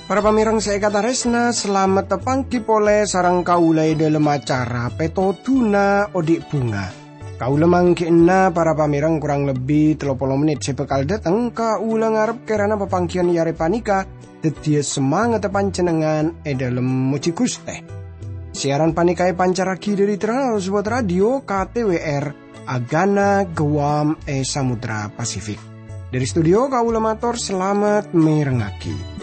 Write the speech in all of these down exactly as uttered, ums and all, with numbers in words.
Para pamèrèng sè èkatarèsna, salamet tapangghi polè sareng kaulâ è dhâlem acara Pètodhuna Odi' Bhunga. Kaulâ mangghi'na para pamèrèng korang lebbi tello polo mennit sè bhâkal dâteng, kaulâ ngarep kèrana papangghiyân è arè panèka dhâddhiyâ samangatta panjhennengngan è dhâlem mojhi Ghustè. Siaran panèka èpancarraghi dhâri Trans World Radio K T W R, Agana Guam è Samudra Pasifik. Dhâri studio kaulâ mator salamet mèrengngaghi.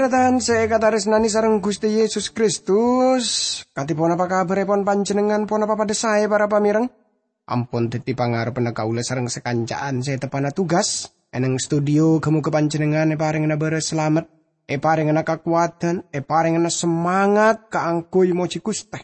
Tarètan sè èkatarèsnanè sareng Ghustè Yesus Kristus, kadhi ponapa kabhârèpon panjhennengngan, ponapa padhâ saè, para pamèrèng? Ampon dhâddhi pangarebbhânna kaulâ sareng sakanca'an sè teppa'na tugas è neng studio. Ghâ-mogâ panjhennengngan èparèngana bârâs salamet, èparèngana kakowadhân, èparèngana samangat kaangghuy mojhi Ghustè.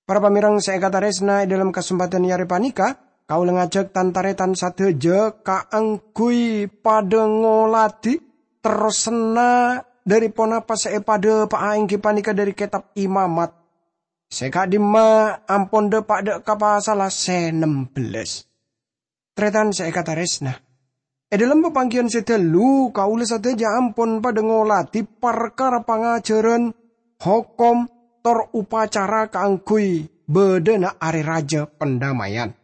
Para pamèrèng sè èkatarèsna, è dhâlem kasempadhân è arè panèka, kaulâ ngajhâk tan-tarètan sadhâjâ kaangghuy padhâ ngoladhi terrosanna dhâri ponapa sè èpadhâpa'a, èngghi panèka dhâri Kètab Imamat. Sè ka'dimma ampon dâpa' dâ' ka pasalla sè nem bellâs. Tarètan sè èkatarèsna, è dhâlem papangghiyân sè ghâllu, kaulâ sadhâjâ ampon padhâ ngoladhi parkara pangajhârân, hokom, tor opacara kaangghuy bâdâna Arè Rajâ Pandamèyan.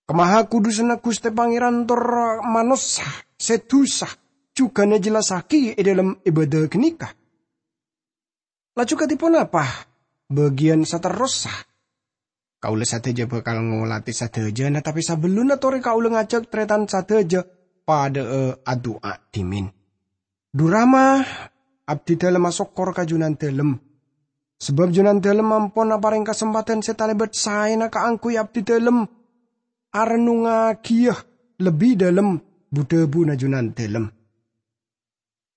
Kamahakodhusanna Ghustè Pangèran tor manossa sè dhusa jhughân èjellassaghi è dhâlem ibâdâ ghânèka. Laju kadhi ponapa bâgiyân saterrossa? Kaulâ sadhâjâ bhâkal ngoladhi sadhâjâna, tapè sabellunna torè kaulâ ngajhâk tarètan sadhâjâ padhâ'â adu'a dhimèn. Dhu Rama, abdhidhâlem asokkor ka Jhunandhâlem, sabâb Jhunandhâlem ampon aparèng kasempadhân sè talèbât saèna kaangghuy abdhidhâlem arennongngagiyâ lebbi dhâlem bu-dhâbuna Jhunandhâlem.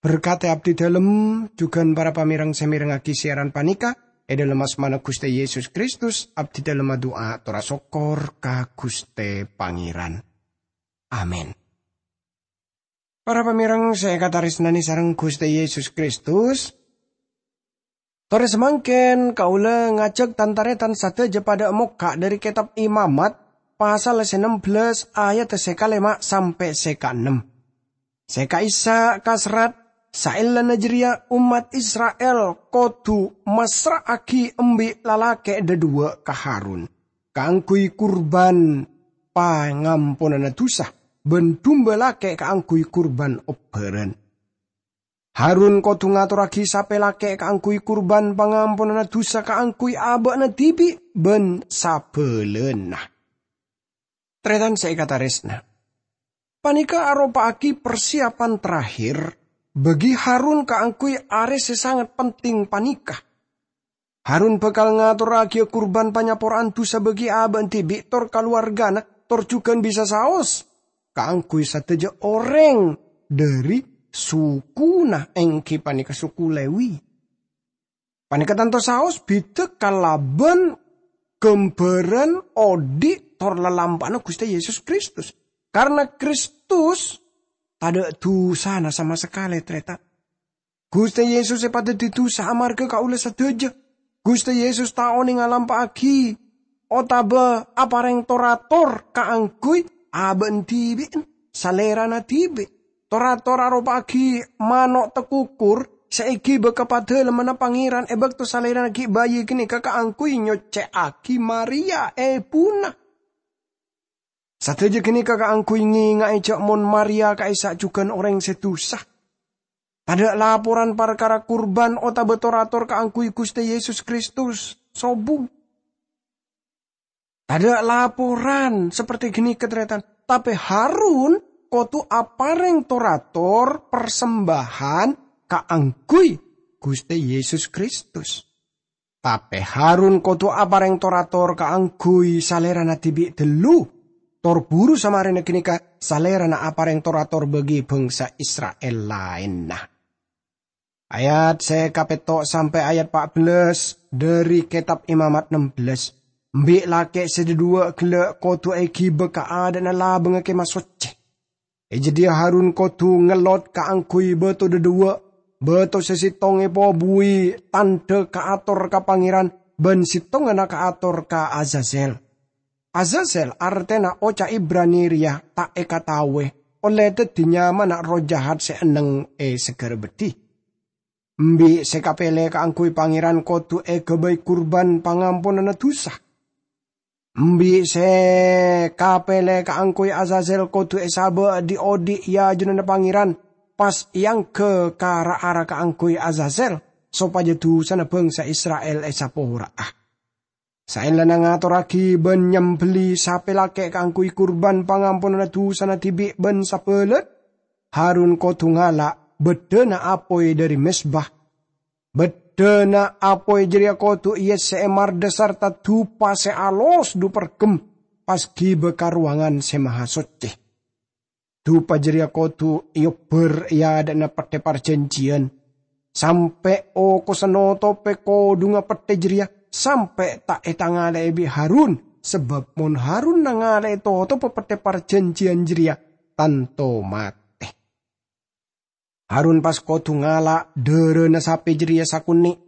Berkadhi abdhidhâlem jhughân para pamèrèng sè mèrengngaghi siaran panèka, è dhâlem asmana Ghustè Yesus Kristus, abdhidhâlem adu'a tor asokkor ka Ghustè Pangèran. Amin. Para pamèrèng sè èkatarèsnanè sareng Ghustè Yesus Kristus, torè samangkèn kaulâ ngajhâk tan-tarètan sadhâjâ padhâ mokka' dhâri Kètab Imamat, pasal sè nem bellâs, ayat sè kalèma' sampè' sè kaennem. Sè ka'issa' kaserrat, saellana jârèya ommat Isra'il kodhu massra'aghi embi' lalakè' dhâdhuwâ' ka Harun kaangghuy kurban pangamponanna dhusa bân dumba lakè' kaangghuy kurban obbhârân. Harun kodhu ngatorraghi sapè lakè' kaangghuy kurban pangamponanna dhusa kaangghuy abâ'na dhibi' bân sabâlâna. Tarètan sè èkatarèsna, panèka aropa'aghi parsiyapan terakhir bagi Harun kaangghuy arè sè sanget penting panèka. Harun bhâkal ngatorraghiyâ kurban panyapora'an dhusa bagi abâ'na dhibi' tor kalowargana, tor jhughân bisa saos kaangghuy sadhâjâ orèng dhâri sukuna, èngghi panèka suku Lewi. Panèka tanto saos bhidhâ kalabân ghâmbhârân odi' tor lalampa'anna Ghustè Yesus Kristus. Karna Kristus tadâ' dhusana sama sakalè, tarètan. Ghustè Yesus èpadhâddhi dhusa amarghâ kaulâ sadhâjâ. Ghustè Yesus ta' onèng alampa'aghi otabâ aparèng tor-ator kaangghuy abâ'na dhibi'na, salèrana dhibi'. Tor-ator aropa'aghi mano' takukur sè èghibâ ka Padalemmanna Pangèran è bâkto salèrana ghi' bâi ghânèka kaangghuy nyoccè'aghi Maria, èbhuna. Sadhâjâ ghânèka kaangghuy ngènga'è jâ' mon Maria ka'issa' jhughân orèng sè dhusa. Tadâ' laporan parkara kurban otabâ tor-ator kaangghuy Ghustè Yesus Kristus sobung. Tadâ' laporan saperti ghânèka, tarètan. Tapè Harun kodhu aparèng tor-ator parsembahan kaangghuy Ghustè Yesus Kristus. Tapè Harun kodhu aparèng tor-ator kaangghuy salèrana dhibi' ghâllu, tor buru samarèna ghânèka salèrana aparèng tor-ator bagi bhângsa Isra'il laènna. Ayat sè kapètto' sampè' ayat pa' bellâs dhâri Kètab Imamat nem bellâs. Embi' lakè' sè dhâduwâ' ghellâ' kodhu èghibâ ka adâ'na labângnga Kèmah Soccè. È jâdiyâ Harun kodhu ngellot kaangghuy bâto dhâduwâ', bâto sè sèttong èpobhuwi tandhâ kaator ka Pangèran bân sèttongnga kaator ka Azazel. Azazel artèna oca' Ibrani rèya ta' èkataowè, ollè dhâddhi nyamana erroh jahat sè enneng è saghârâ beddhi. Embi' sè kapèlè kaangghuy Pangèran kodhu èghâbây kurban pangamponanna dhusa. Embi' sè kapèlè kaangghuy Azazel kodhu èsabâ' dhi'-odhi' è ajunanna Pangèran, pas èangghâ ka ra-ara kaangghuy Azazel, sopajâ dhusana bhângsa Isra'il èsapora'a. Saellana ngatorraghi bân nyambelli sapè lakè' kaangghuy kurban pangamponanna dhusana dhibi' bân sabâlât, Harun kodhu ngala' bâddhâna apoy dhâri mezba. Bâddhâna apoy jârèya kodhu èyessè'è mardhâ sarta dupa sè alos dhu-perghem pas ghibâ ka Rowangan Sè Mahasoccè. Dupa jârèya kodhu èobbhâr è adâ'na Pettè Parjhânjhiyân, sampè' okossa notopè kodhungnga pettè jârèya sampè' ta' ètangalè'è bi' Harun, sabâb mon Harun nangalè'è totobbhâ Pettè Parjhânjhiyân jârèya, tanto matè. Harun pas kodhu ngala' dhârâna sapè jârèya sakonè'.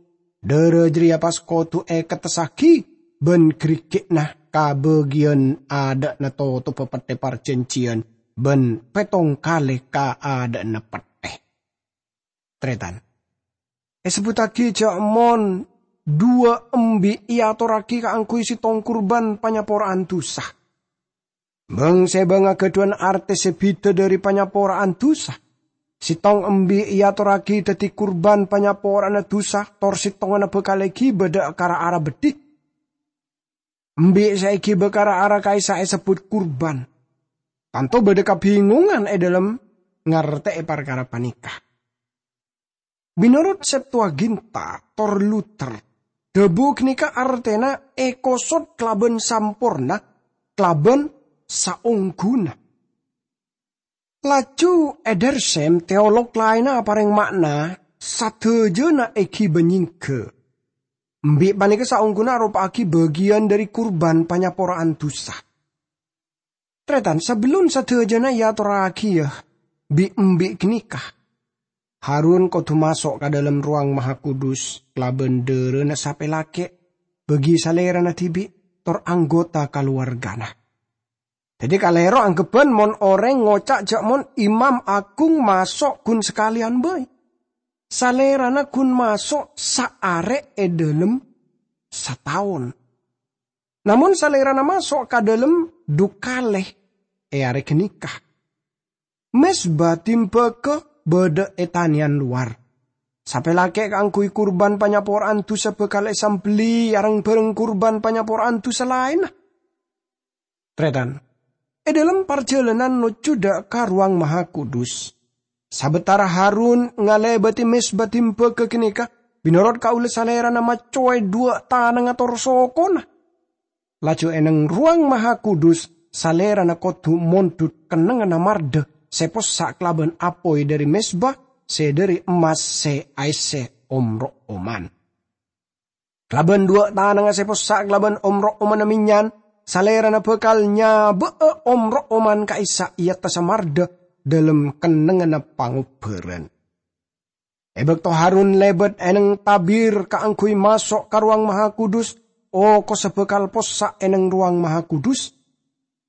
Dhârâ jârèya pas kodhu èkettessaghi bân ghârighi'na ka bâgiyân adâ'na totobbhâ Pettè Parjhânjhiyân bân pèttong kalè ka adâ'na pettè. Tarètan, èsebbhuttaghi jâ' mon dhuwâ' embi' èatorraghi kaangghuy sèttong kurban panyapora'an dhusa. Bâng-sèbângnga ghâdhuwân artè sè bhidhâ dhâri panyapora'an dhusa. Sèttong embi' èatorraghi dhâddhi kurban panyapora'anna dhusa, tor sèttongnga bhâkal èghibâ dâ' ka ra-ara beddhi. Embi' sè èghibâ ka ra-ara ka'issa' èsebbhut kurban. Tanto bâdâ kabingungan è dhâlem ngartè'è parkara panèka. Mènorot Septuaginta tor Luther, dhâbu ghânèka artèna èkosot kalabân samporna, kalabân saongghuna. Laju Edersheim, teolog laènna aparèng ma'na sadhâjâna èghibâ nyèngghâ. Embi' panèka saongghuna aropa'aghi bâgiyân dhâri kurban panyapora'an dhusa. Tarètan, sabellun sadhâjâna èatorraghiyâ bi' embi' ghânèka, Harun kodhu maso' ka dhâlem Rowang Mahakudus kalabân dhârâna sapè lakè', bâgi salèrana dhibi', tor anggota kalowargana. Dhâddhi, kalèro angghebbhân mon orèng ngoca' jâ' mon imam aghung maso' ghun sakalèyan bhâi. Salèrana ghun maso' saarè' è dhâlem sataon. Namong salèrana maso' ka dhâlem dhu kalè è arè ghânèka. Mezba dimbaga bâdâ è tanèyan lowar. Sapè lakè' kaangghuy kurban panyapora'an dhusa bhâkal èsambelli areng-bhâreng kurban panyapora'an dhusa laènna. Tarètan, è dhâlem parjhâlânan nojjhu dâ' ka Rowang Mahakudus, sabâtara Harun ngalèbâdhi mezba dimbaga ghânèka, mènorot kaulâ salèrana maccowè dhuwâ' tanangnga tor sokona. Laju è neng Rowang Mahakudus, salèrana kodhu mondhut kennengnganna mardhâ sè possa' kalabân apoy dhâri mezba sè dhâri emmas sè aèssè om-ro'oman. Kalabân dhuwâ' tanangnga sè possa' kalabân om-ro'omanna mennyan, salèrana bhâkal nyabâ'â om-ro'oman ka'issa' è attassa mardhâ dhâlem kennengnganna pangobbhârân. È bâkto Harun lèbât è neng tabir kaangghuy maso' ka Rowang Mahakudus, okossa bhâkal possa' è neng Rowang Mahakudus.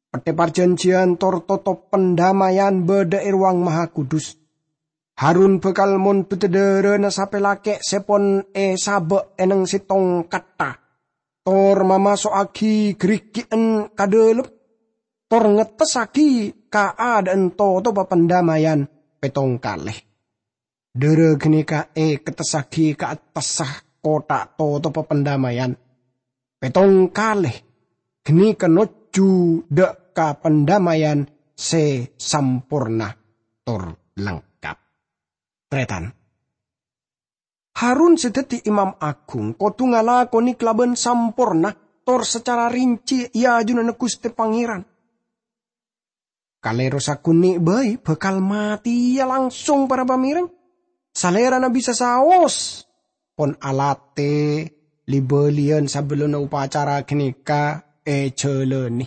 Pettè Parjhânjhiyân tor totop pandammayan bâdâ è Rowang Mahakudus. Harun bhâkal mondhuta dhârâna sapè lakè' sè pon èsabâ' è neng sèttong kattha, tor mamaso'aghi ghârighi'ân ka dhâlem, tor ngettessaghi kaadâ'ân totobbhâ pandammayan pèttong kalè. Dhârâ ghânèka èkettessaghi ka attassa kottha totobbhâ pandammayan pèttong kalè, ghânèka nojjhu dâ' ka pandammayan sè samporna tor lengkap. Tarètan, Harun sè dhâddhi imam aghung kodhu ngalakonè kalabân samporna tor sacara rinci è ajunanna Ghustè Pangèran. Kalèro sakonè' bhâi bhâkal matèya langsung para pamèreng. Salèrana bisa saos, pon alatè li-bâliyân sabellunna opacara ghânèka èjhâlânè.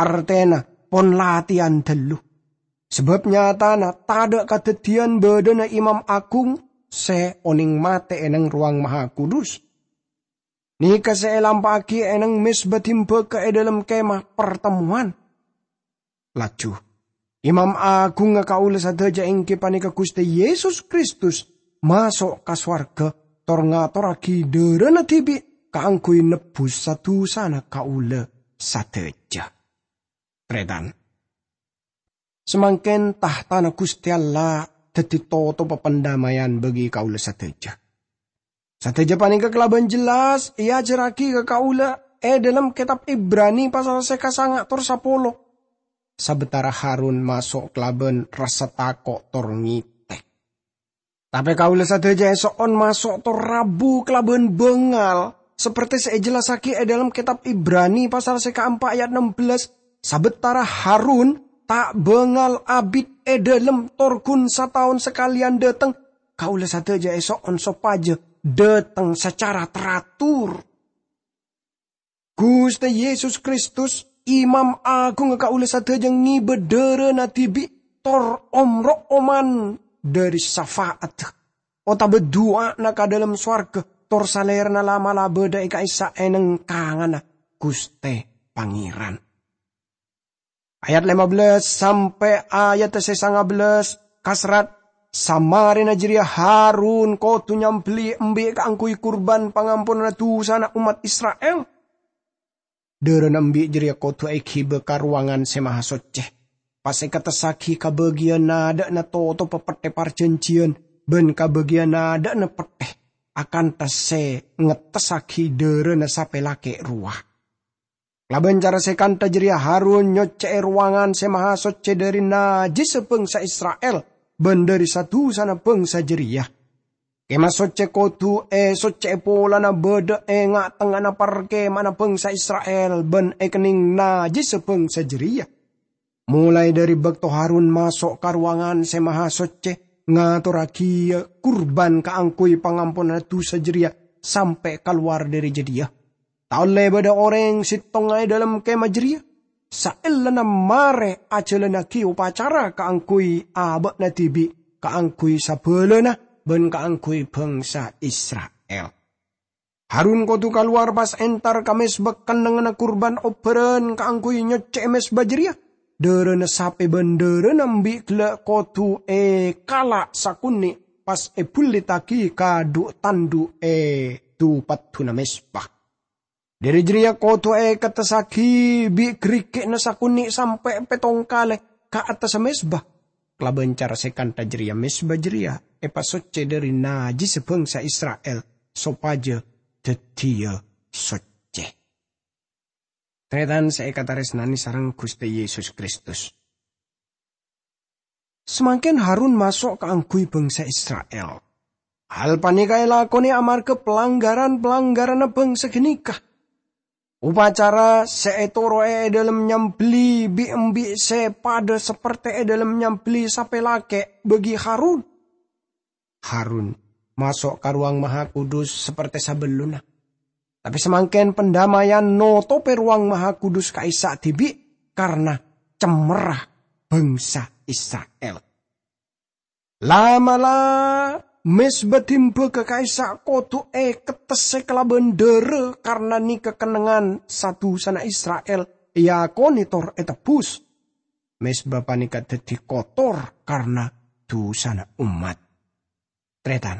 Artèna, pon latèyan dâllu. Sabâb nyatana tadâ' kadhâddhiyân bâdâna imam agung sè onèng matè è neng Rowang Mahakudus. Nèka sè èlampa'aghi è neng mezba dimbâgâ è dâlem Kemah Partemmowan. Laju, Imam Agungnga kaulâ sadhâjâ èngghi panèka Ghustè Yesus Kristus, maso' ka sowarghâ, tor ngatorraghi dârâna dhibi' kaangghuy nebbhus sa-dusana kaulâ sadhâjâ. Tarètan. Samangkèn tahtana Ghustè Allah dhâddhi totopa pandamèyan bagi kaulâ sadhâjâ. Sadhâjâ panèka kalabân jelas èajhârraghi ka kaulâ è dâlem Kètab Ibrani pasal sè kasanga' tor sapolo. Sabâtara Harun maso' kalabân rassa tako' tor ngètè. Tapè kaulâ sadhâjâ èso'on maso' tor rabu kalabân bângal, saperti sè èjellassaghi è dâlem Kètab Ibrani pasal sè kaempa' ayat ennem belas, "Sabâtara Harun ta' bângal abit è dâlem tor ghun sataon sakalèyan dâteng, kaulâ sadhâjâ èso'on sopajâ dâteng sacara teratur." Ghustè Yesus Kristus, Imam Agungnga kaulâ sadhâjâ ngèbâ dârâna dhibi' tor om-ro'oman dâri syafaat otabâ du'ana ka dâlem sowarghâ, tor Salèrana la'-mala' bâdâ è ka'issa' è neng kanganna Ghustè Pangèran. Ayat lèma belas sampè' ayat sè sanga belas kaserrat, "Samarèna jârèya Harun kodhu nyambelli embi' kaangghuy kurban pangamponanna dusana ommat Isra'il. Dârâna embi' jârèya kodhu èghibâ ka Rowangan Sè Mahasoccè, pas èkettessaghi ka bâgiyân adâ'na totopa pettè parjhânjhiyân bân ka bâgiyân adâ'na pettè akanta sè ngettessaghi dârâna sapè lakè' rowa." Kalabân cara sè kantha jârèya Harun nyoccè'è Rowangan Sè Mahasoccè dâri najjhissa bhângsa Isra'il bân dâri sa-dusana bhângsa jârèya. Kemah Soccè kodhu èsoccè'è polana bâdâ è nga'-tengnga'anna parkema'anna bhângsa Isra'il bân èkennèng najjhissa bhângsa jârèya. Molaè dâri bâkto Harun maso' ka Rowangan Sè Mahasoccè, ngatorraghiyâ kurban kaangghuy pangamponanna dusa jârèya sampè' kalowar dâri jâdiyâ. Ta' ollè bâdâ orèng settonga è dâlem kemah jârèya, saellana marè ajhâlannaghi opacara kaangghuy abâ'na dhibi', kaangghuy sabâlâna, bân kaangghuy bhângsa Isra'il. Harun kodhu kalowar pas entar ka mezba kennengnganna kurban obhârân kaangghuy nyoccè'è mezba jârèya. Dârâna sapè bân dârâna embi' ghellâ' kodhu èkala' sakonè' pas èbhullittaghi ka dhu'-tandhu' è dhu-paddhuna mezba. Dâri jârèya kodhu èkettessaghi bi' ghârigghina sakonè' sampè' pèttong kalè ka attassa mezba. Kalabân cara sè kantha jârèya mezba jârèya èpasoccè dâri najjhissa bhângsa Isra'il sopajâ dhâddhiyâ soccè. Tarètan sè èkatarèsnanè sareng Ghustè Yesus Kristus. Samangkèn Harun maso' kaangghuy bhângsa Isra'il. Hal panèka èlakonè amarghâ palangghâran-palangghâranna bhângsa ghânèka. Opacara sè ètoro'è è dâlem nyambelli bi'-embi' sè padâ sapertè è dâlem nyambelli sapè lakè' bagi Harun. Harun maso' ka Rowang Mahakudus sapertè sabellunna. Tapè samangkèn pandamèyan notopè Rowang Mahakudus ka'issa' dhibi' karna cemmerra bhângsa Isra'il. La'-mala' mezba dimbâgâ ka'issa' kodhu èkettessè kalabân dârâ karna nèka kennengngan sa-dusana Isra'il èakonè tor ètebbhus. Mezba panèka dhâddhi kotor karna dusana ommat. Tarètan,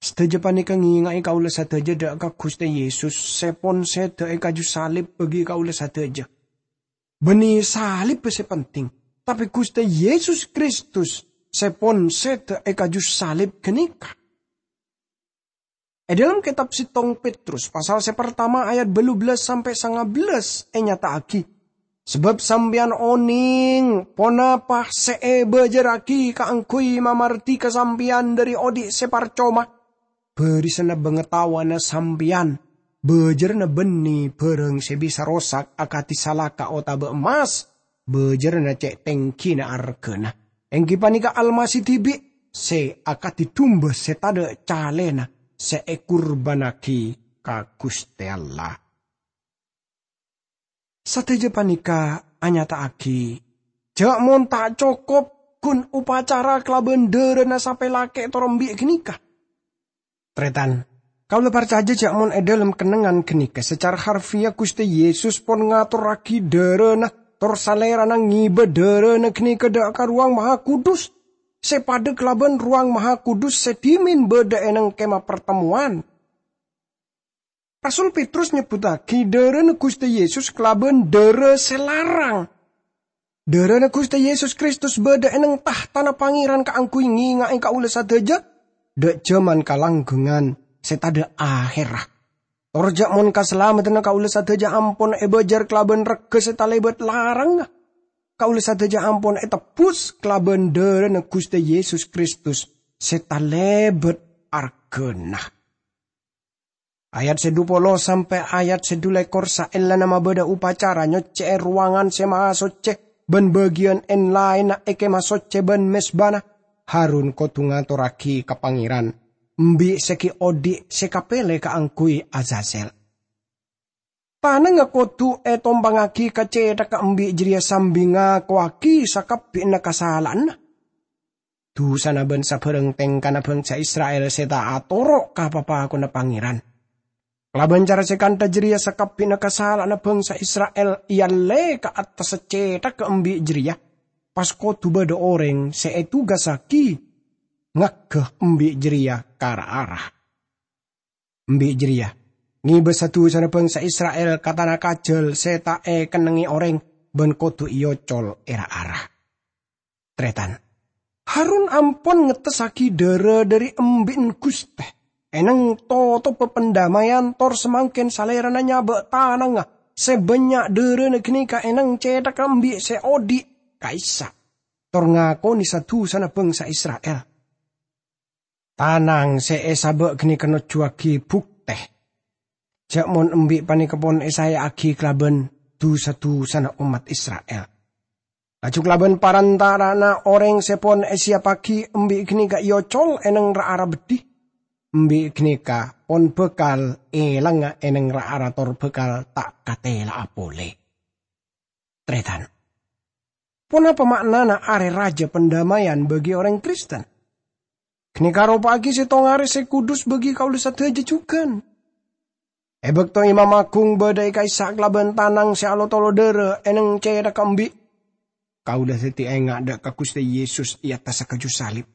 sadhâjâ panèka ngènga'è kaulâ sadhâjâ dâ' ka Ghustè Yesus sè pon sèdhâ è kaju salib bagi kaulâ sadhâjâ. Bânnè salib sè penting, tapè Ghustè Yesus Kristus sè pon sèdhâ è kaju salib ghânèka. È dâlem kètab settong Petrus, pasal sè partama ayat bâllu bellas sampè' sanga bellas ènyata'aghi, "Sabâb sampèyan onèng ponapa sè èbâjârraghi kaangghuy mamardhika sampèyan dâri odi' sè parcoma. Bârisana bângatowana sampèyan, bâjârânna bânnè bârâng sè bisa rosak akadhi salaka otabâ emmas, bâjârânna cè' tèngghina arghâna, èngghi panèka Almasih dhibi'. sè akadhi dumba sè tadhâ' calèna sè èkurbânnaghi ka Ghustè Allah. Sadhâjâ panèka anyata'aghi jhâ' mon ta' cokop ghun opacara kalabân dhârâna sapè lakè' tor embi' ghânèka. Tarètan, kaulâ parcajâ jhâ' mon è dhâlem kennengngan ghânèka sacara harfiah Ghustè Yesus pon ngatorraghi dhârâna tor Salèrana ngibâ dhârâna ghânèka dâ' ka Rowang Mahakudus, sè padâ kalabân Rowang Mahakudus sè dhimèn bâdâ è neng Kemah Partemmowan. Rasul Petrus nyebbhuttaghi dhârâna Ghustè Yesus kalabân dhârâ sè larang. Dhârâna Ghustè Yesus Kristus bâdâ è neng tahtana Pangèran kaangghuy ngènga'è kaulâ sadhâjâ, dâ' jhâman kalangghângan sè tadâ' ahèrra. Tor jhâ' mon kasalameddhânna kaulâ sadhâjâ ampon èbâjâr kalabân regghâ sè talèbât larangnga. Kaulâ sadhâjâ ampon ètebbhus kalabân dhârâna Ghustè Yesus Kristus sè talèbât arghâna. Ayat sè dhu polo sampè' ayat sè dhu lèkor saellana mabâdâ opacara nyoccè'è rowangan sè maha soccè bân bâgiyân èn-laènna è Kemah Soccè bân mezbana, Harun kodhu ngatorraghi ka Pangèran embi' sè ghi' odi' sè kapèlè kaangghuy Azazel. Tanangnga kodhu ètompangngaghi ka cèthagghâ embi' jârèya sambi ngakowaghi sakabbhiyanna kasala'anna. Dusana bân sabhârâng tèngkana bhângsa Isra'il sè ta' atoro' ka papakonna Pangèran. Kalabân cara sè kantha jârèya sakabbhiyanna kasala'anna bhângsa Isra'il èallè ka attassa cèthagghâ embi' jârèya, pas kodhu bâdâ orèng sè ètugasaghi ngaghâ embi' jârèya ka ra-ara. Embi' jârèya ngibâ sa-dusana bhângsa Isra'il ka tana kajhâl sè ta' èkennengngè orèng bân kodhu èocol è ra-ara. Tarètan, Harun ampon ngettessaghi dhârâ dhâri embi'na Ghustè è neng totobbhâ pandammayan, tor samangkèn salèrana nyabâ' tanangnga sè bânnya' dhârâna ghânèka è neng cèthagghâ embi' sè odi' ka'issa', tor ngakonè sa-dusana bhângsa Isra'il. Tanang sè èsabâ' ghânèka nojjuwaghi buktè jhâ' mon embi' panèka pon èsaèya'aghi kalabân du-sadusana ommat Isra'il. Laju kalabân parantara'anna orèng sè pon èsiyappaghi, embi' ghânèka èocol è neng ra-ara beddhi. Embi' ghânèka pon bhâkal èlangnga è neng ra-ara tor bhâkal ta' katèla'a polè. Tarètan, ponapa ma'nana Arè Rajâ Pandammayan bagi orèng Kristen? Ghânèka aropa'aghi sèttong arè sè kudus bagi kaulâ sadhâjâ jhughân. È bâkto Imam Aghung bâdâ è ka'issa' kalabân tanang sè alotolo dhârâ è neng cèthagghâ embi', kaulâ dhâddhi enga' dâ' ka Ghustè Yesus è attassa kaju salib.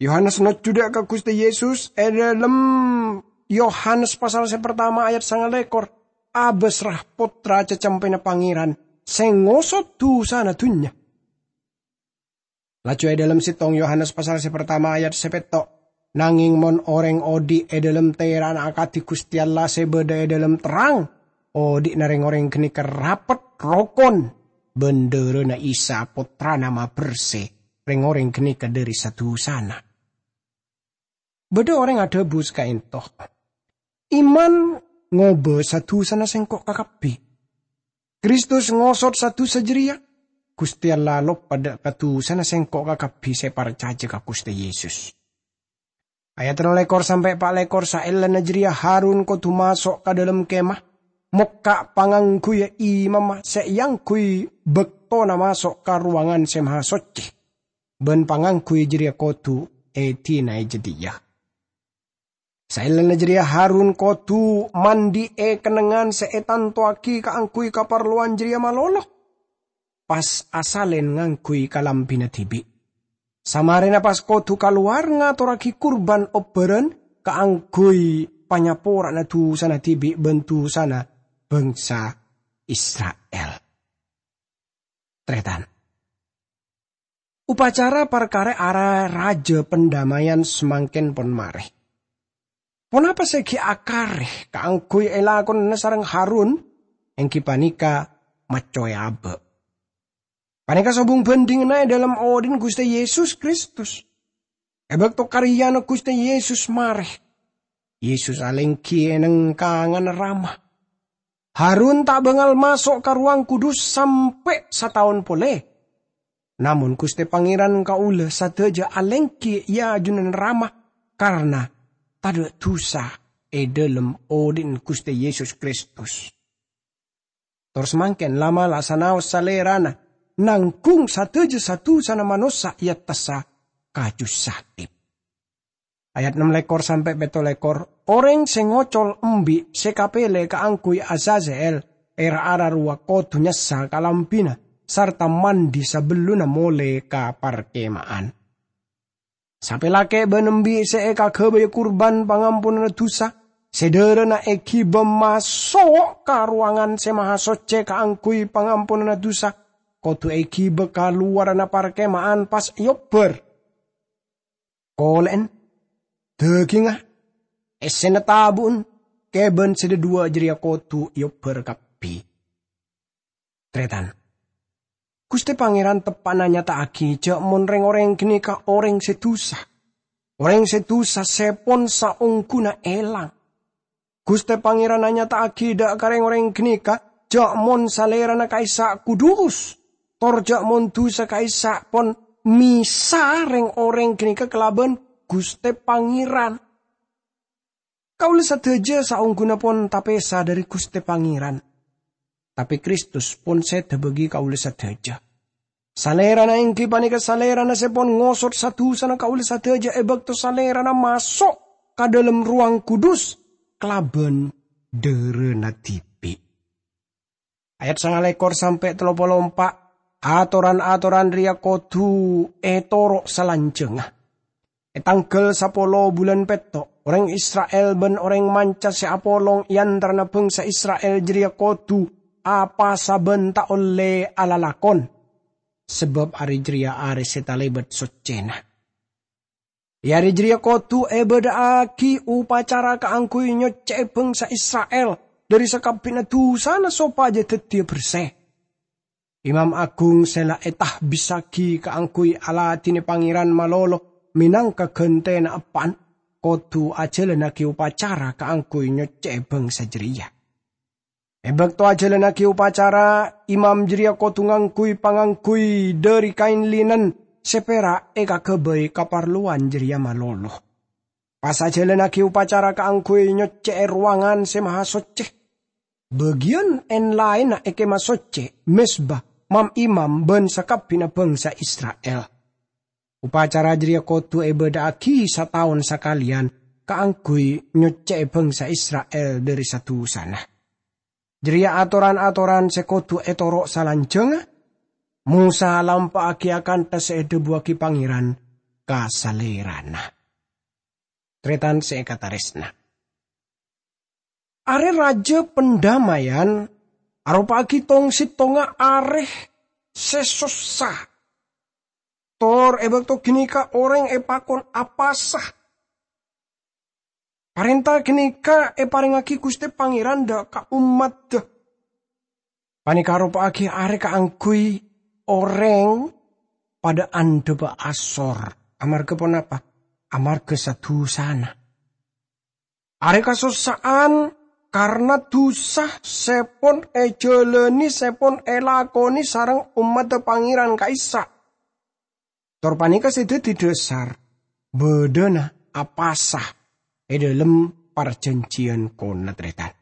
Yohanes nojjhu dâ' ka Ghustè Yesus è dhâlem Yohanes pasal sè partama ayat sangalèkor, abâsra Pottra Cacampèna Pangèran sè ngosot dusana dhunnya. Laju è dhâlem sèttong Yohanes pasal sè partama ayat sè pètto', nangèng mon orèng odi' è dhâlem tèra'na akadhi Ghustè Allah sè bâdâ è dhâlem terrang, odi'na rèng-orèng ghânèka rapet, rokon, bân dhârâna Isa Pottrana mabersè rèng-orèng ghânèka dhâri sa-dusana. Bâdâ orèng adhâbu sakaènto, "Iman ngobâ sa-dusana sèngko' kakabbhi. Kristus ngosot sa-dusa jârèya. Ghustè Allah loppa dâ' ka dusana sèngko' kakabbhi sè parcajâ ka Ghustè Yesus." Ayat tello lèkor sampè' pa' lèkor saellana jârèya Harun kodhu maso' ka dhâlem kemah, mokka' pangangghuyyâ imamma sè èangghuy bâktona maso' ka Rowangan Sè Mahasoccè, bân pangangghuy jârèya kodhu èdinaè jâdiyâ. Saellana jârèya Harun kodhu mandhi'è kennengngan sè ètantowaghi kaangghuy kaparlowan jârèya malolo, pas asalèn ngangghuy kalambhina dhibi'. Samarèna pas kodhu kalowar ngatorraghi kurban obbhârân kaangghuy panyapora'anna dusana dhibi' bân dusana bhângsa Isra'il. Tarètan. Upacara parkara Arè Rajâ Pandammayan samangkèn pon marè. Ponapa sè ghi' akarè kaangghuy èlakonana sareng Harun, èngghi panèka maccowè abâ'. Panèka sobung bhândhinganna è dhâlem odhi'na Ghustè Yesus Kristus. È bâkto karèyana Ghustè Yesus marè, Yesus alèngghi è neng kanganna Rama. Harun ta' bângal maso' ka Rowang Kudus sampè' sataon polè. Namong Ghustè Pangèran kaulâ sadhâjâ alèngghi è ajunan Rama, karana tadâ' dhusa è dhâlem odi'na Ghustè Yesus Kristus. Tor samangkèn la'-mala' sanaos Salèrana nanggung sadhâjâ sa-dhusana manossa è attassa kaju salib. Ayat ennem lèkor sampè' pètto lèkor, "Orèng sè ngocol embi' sè kapèlè kaangghuy Azazel è ra-ara rowa kodhu nyassa kalambhina sarta mandhi sabellunna molè ka parkema'an. Sapè lakè' bân embi' sè èkaghâbâyâ kurban pangamponanna dhusa, sè dhârâna èghibâ maso' ka rowangan sè mahasoccè kaangghuy pangamponanna dhusa, kodhu èghibâ ka lowarra parkema'an pas èobbhâr. Kolè'en, dhâgingnga, èssèna tabu'en, kèbân sè dhâduwâ' jârèya kodhu èobbhâr kabbhi." Tarètan, Ghustè Pangèran teppa'na nyata'aghi jâ' mon rèng-orèng ghânèka orèng sè dhusa. Orèng sè dhusa sè pon saongghuna èlang. Ghustè Pangèran anyata'aghi dhâ' ka rèng-orèng ghânèka jâ' mon Salèrana ka'issa' kudus, tor jâ' mon dhusa ka'issa' pon mèsa rèng-orèng ghânèka kalabân Ghustè Pangèran. Kaulâ sadhâjâ saongghuna pon tapèsa dhâri Ghustè Pangèran, tapè Kristus pon sèdhâ bâgi kaulâ sadhâjâ. Salèrana èngghi panèka Salèrana sè pon ngosot sa-dhusana kaulâ sadhâjâ è bâkto Salèrana maso' ka dhâlem rowang kudus kalabân dhârâna dhibi'. Ayat sanga lèkor sampè' tello polo empa', atoran-atoran rèya kodhu ètoro' salanjhângnga. È tangghâl sapolo bulân pètto', orèng Isra'il bân orèng manca sè apolong è antarana bhângsa Isra'il jârèya kodhu apasa bân ta' ollè alalakon, sabâb arè jârèya arè sè talèbât soccèna. È arè jârèya kodhu èbâdâ'aghi opacara kaangghuy nyoccè'è bhângsa Isra'il dhâri sakabbhina dhusana sopajâ dhâddhiyâ bersè. Imam agung sè la ètahbissaghi kaangghuy aladhinè Pangèran malolo mènangka ghântèna eppa'na, kodhu ajhâlânnaghi opacara kaangghuy nyoccè'è bhângsa jârèya. È bâkto ajhâlânnaghi opacara, imam jârèya kodhu ngangghuy pangangguy dhâri kaèn linen sè pèra' èkaghâbây kaparlowan jârèya malolo. Pas ajhâlânnaghi opacara kaangghuy nyoccè'è rowangan sè mahasoccè. Bâgiyân èn-laènna è Kemah Soccè, mezba, mam-imam bân sakabbhina bhângsa Isra'il. Opacara jârèya kodhu èbâdâ'aghi sataon sakalèyan kaangghuy nyoccè'è bhângsa Isra'il dhâri sa-dhusana. Jârèya atoran-atoran sè kodhu ètoro' salanjhângnga. Mosa alampa'aghi akantha sè èdhâbuwâghi Pangèran ka salèrana. Tarètan sè èkatarèsna. Arè Rajâ Pandamaian aropa'aghi tong-settongnga arè sè sossa. Tor è bâkto ghânèka orèng èpakon apasa. Parènta ghânèka èparèngaghi Ghustè Pangèran dhâ' ka ommaddhâ. Panèka aropa'aghi arè kaangghuy orèng padâ andhâbâ asor. Amarghâ ponapa? Amarghâ sa-dhusana. Arè kasossa'an karna dhusa sè pon èjhâlâni, sè pon èlakonè sareng ommaddhâ Pangèran ka'issa'. Tor panèka sè dhâddhi dhâsar bâdâna apasa è dhâlem parjhânjhiyân konat-rètan.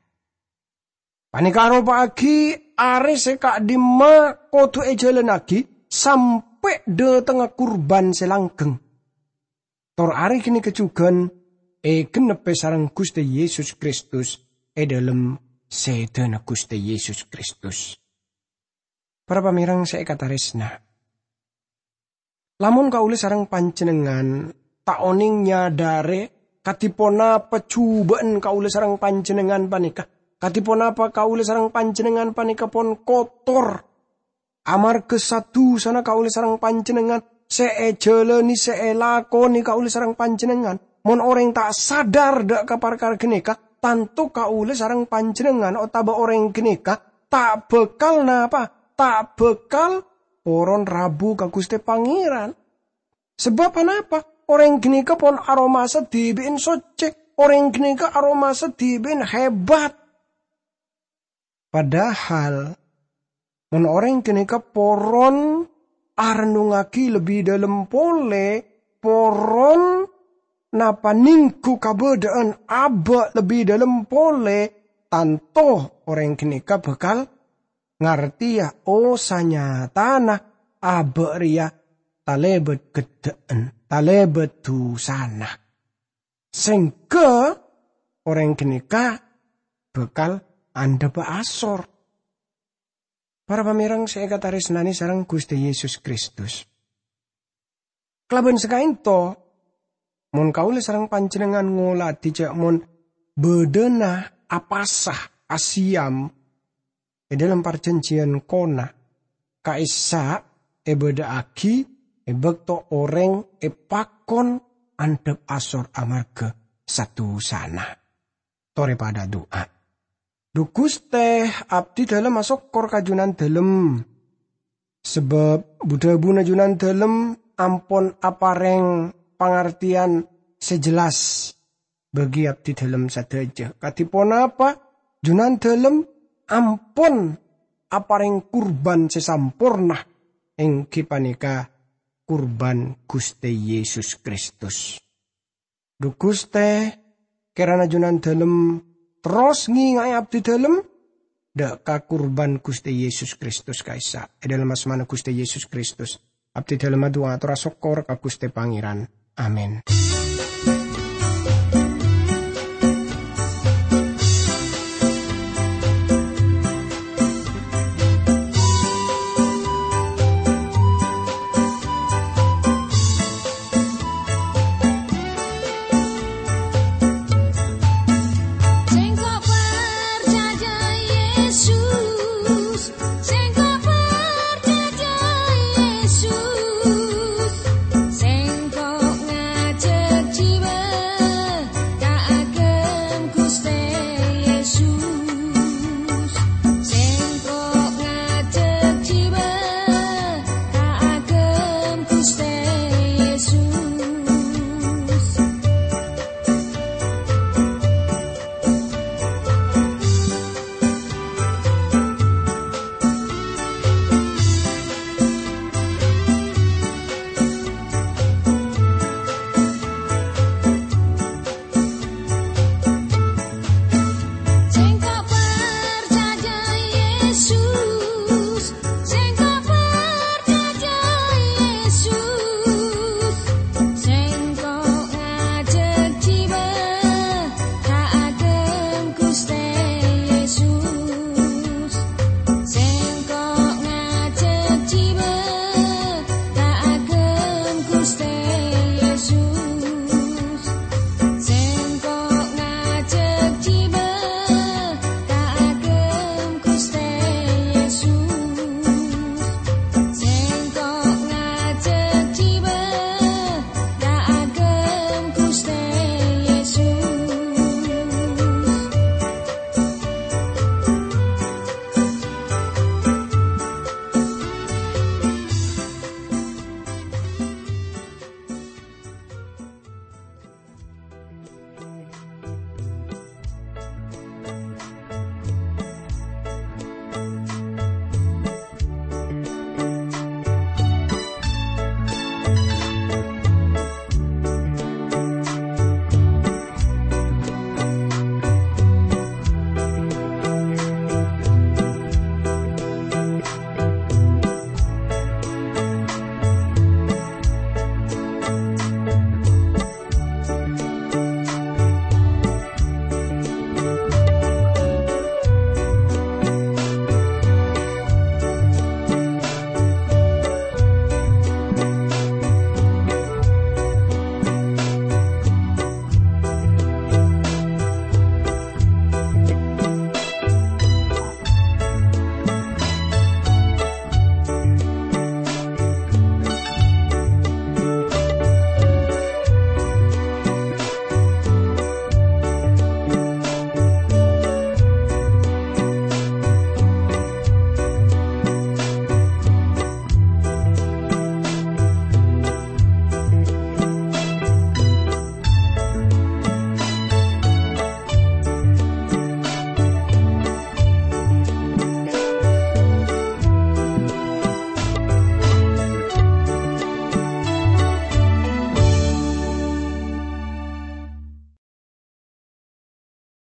Panèka aropa'aghi arè sè ka'dimma kodhu èjhâlânnaghi sampè' dhâtengnga kurban sè langgheng. Tor arè ghânèka jhughân ègennebbhi sareng Ghustè Yesus Kristus è dhâlem sèdhâna Ghustè Yesus Kristus. Para pamèreng sè èkatarèsna, lamon kaulâ sareng panjhennengngan ta' onèng nyadhârè kadhi ponapa jhubâ'ân kaulâ sareng panjhennengngan panèka, kadhi ponapa kaulâ sareng panjhennengngan panèka pon kotor, amarghâ sa-dhusana kaulâ sareng panjhennengngan, sè èjhâlâni, sè èlakonè kaulâ sareng panjhennengngan. Mon orèng ta' sadar dhâ' ka parkara ghânèka, tanto kaulâ sareng panjhennengngan otabâ orèng ghânèka ta' bhâkal napa? Ta' bhâkal poron rabu ka Ghustè Pangèran. Sabâb anapa? Orèng ghânèka pon aromasa dhibi'en soccè, orèng ghânèka aromasa dhibi'en hebat. Padahal, mon orèng ghânèka poron arennungngagi lebbi dâlem polè, poron napa nèngghu kabâdâ'ân abâ' lebbi dâlem polè, tanto orèng ghânèka bhâkal ngartèya, oh, sanyatana abâ' rèya talèbât gheddhâ'ân, talèbât dusana. Sèngghâ orèng ghânèka bhâkal andhâppa asor. Para pamèreng sè èkatarèsnanè sareng Ghustè Yesus Kristus. Kalabân sakaènto, mon kaulâ sareng panjhennengngan ngolatè jhâ' mon bâdâna apasa, asiyam è dâlem parjhânjhiyân kona, ka'issa' èbâdâ'aghi è bâkto orèng èpakon andhâp asor amarghâ sa-dusana. Torè padâ adu'a. Dhu Ghustè, abdhi dhâlem asokkor ka Junandhâlem, sabâb bu-dhâbuna Junandhâlem ampon aparèng pangartèyan sè jelas bagi abdhi dhâlem sadhâjâ. Kadhi ponapa Junandhâlem ampon aparèng kurban sè samporna, èngghi panèka kurban Ghustè Yesus Kristus. Dhu Ghustè, kèrana Junandhâlem terros ngènga'è abdhi dhâlem dâ' ka kurban Ghustè Yesus Kristus ka'issa'. È dâlem asmana Ghustè Yesus Kristus, abdhi dhâlem adu'a ator asokkor ka Ghustè Pangèran. Amin.